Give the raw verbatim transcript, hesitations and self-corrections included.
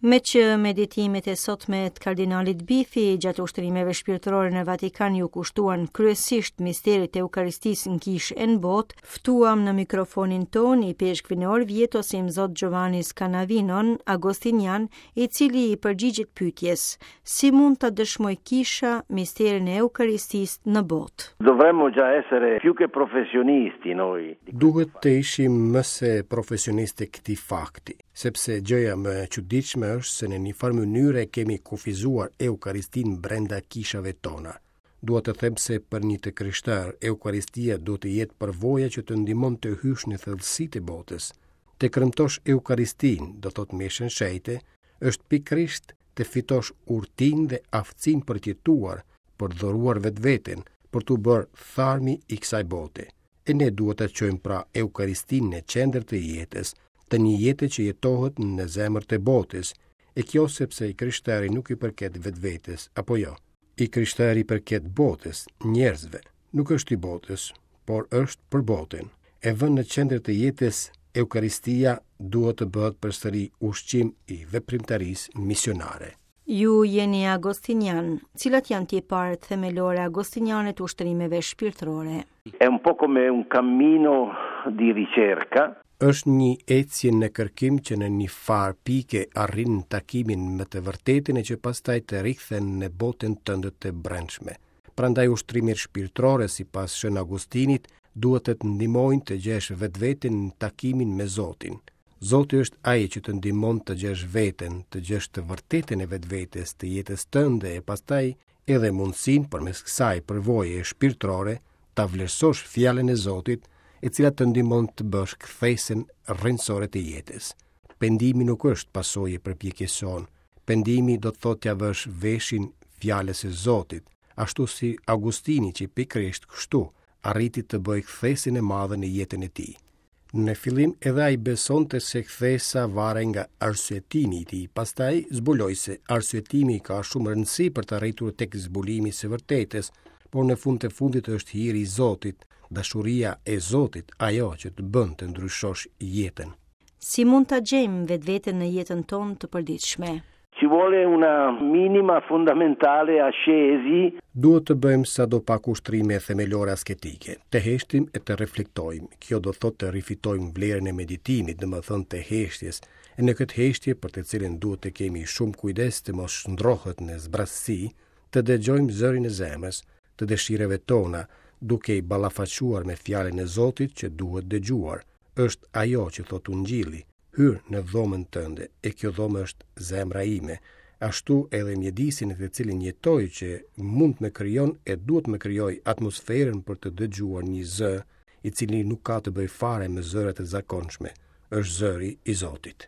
Meqë meditimet e sotme të kardinalit Bifi gjatë ushtrimeve shpirtërore në Vatikan iu kushtuan kryesisht misterit të Eukaristisë në kishë e në botë, ftuam në mikrofonin ton ipeshkvin e Orvietos Imzot Giovanni Scanavinon, Agostinian, i cili i përgjigjet pyetjes: Si mund ta dëshmoj kisha misterin e Eukaristisë në botë? Dovremmo già essere più che professionisti noi. Duhet të ishim më se profesionistë të këtij fakti, sepse gjëja më e çuditshme është se në një farë mënyre kemi kufizuar Eukaristinë brenda kishave tona. Dua të them se për një të krishterë, Eukaristia duhet të jetë përvoja që të ndihmon të hysh në thellësitë e botës. Të kremtosh Eukaristinë, do thotë meshën shenjte, është pikërisht të fitosh urtinë dhe aftësinë për të jetuar, për të dhuruar vetveten, për t'u bërë tharmi i kësaj bote. E ne duhet ta çojmë pra Eukaristinë në qendër të jetës, të një jete që jetohet në zemër të botës, e kjo sepse i krishteri nuk i përket vetvetes, apo jo. I krishteri i përket botës, njerëzve, nuk është i botës, por është për botën. E vënë në qendër të jetës, Eukaristia duhet të bëhet përsëri ushqim i veprimtarisë misionare. Ju jeni agostinian. Cilat janë tiparet themelore agostiniane të ushtrimeve shpirtërore? È un po' come un cammino di ricerca. Është një ecje në kërkim që në një farë pike arrin takimin me të vërtetën e që pastaj të rikthen në botën tënde të brendshme. Prandaj ushtrimet shpirtërore sipas Shën Augustinit duhet të të ndihmojnë të gjesh vetveten në takimin me Zotin. Zoti është ai që të ndihmon të gjesh veten, të gjesh të vërtetën e vetvetes, të jetës tënde e pastaj edhe mundësinë përmes kësaj përvoje shpirtërore ta vlerësosh fjalën e Zotit, e cila të ndihmon të bësh kthesën rrënjësore të jetës. Pendimi nuk është pasojë e përpjekjes sonë. Pendimi do të thotë t'ia vësh veshin fjalës së Zotit, ashtu si Augustini që pikërisht kështu arriti të bëjë kthesën e madhe në jetën e tij. Në fillim edhe ai besonte se kthesa varej nga arsyetimi i tij, pastaj zbuloi se arsyetimi ka shumë rëndësi për të arritur tek zbulimi i së vërtetës, por në fund të fundit është hiri i Zotit, dashuria e Zotit, ajo që të bën të ndryshosh jetën. Si mund ta gjejmë vetveten në jetën tonë të përditshme? Ci vuole una minima fondamentale ascesi. Duhet të bëjmë sado pak ushtrime themelore asketike, të heshtim e të reflektojmë. Kjo do thotë të rifitojmë vlerën e meditimit, domethënë të heshtjes, e në këtë heshtje për të cilën duhet të kemi shumë kujdes të mos shndrohet në zbrazësi, të dëgjojmë zërin e zemrës, të dëshirave tona, duke i ballafaquar me fjalën e Zotit që duhet dëgjuar. Është ajo që thotë Ungjilli, hyr në dhomën tënde, e kjo dhomë është zemra ime, ashtu edhe mjedisin në të cilin jetoj që mund të më krijon e duhet të më krijoj atmosferën për të dëgjuar një zë, i cili nuk ka të bëjë fare me zërat e zakonshme, është zëri i Zotit.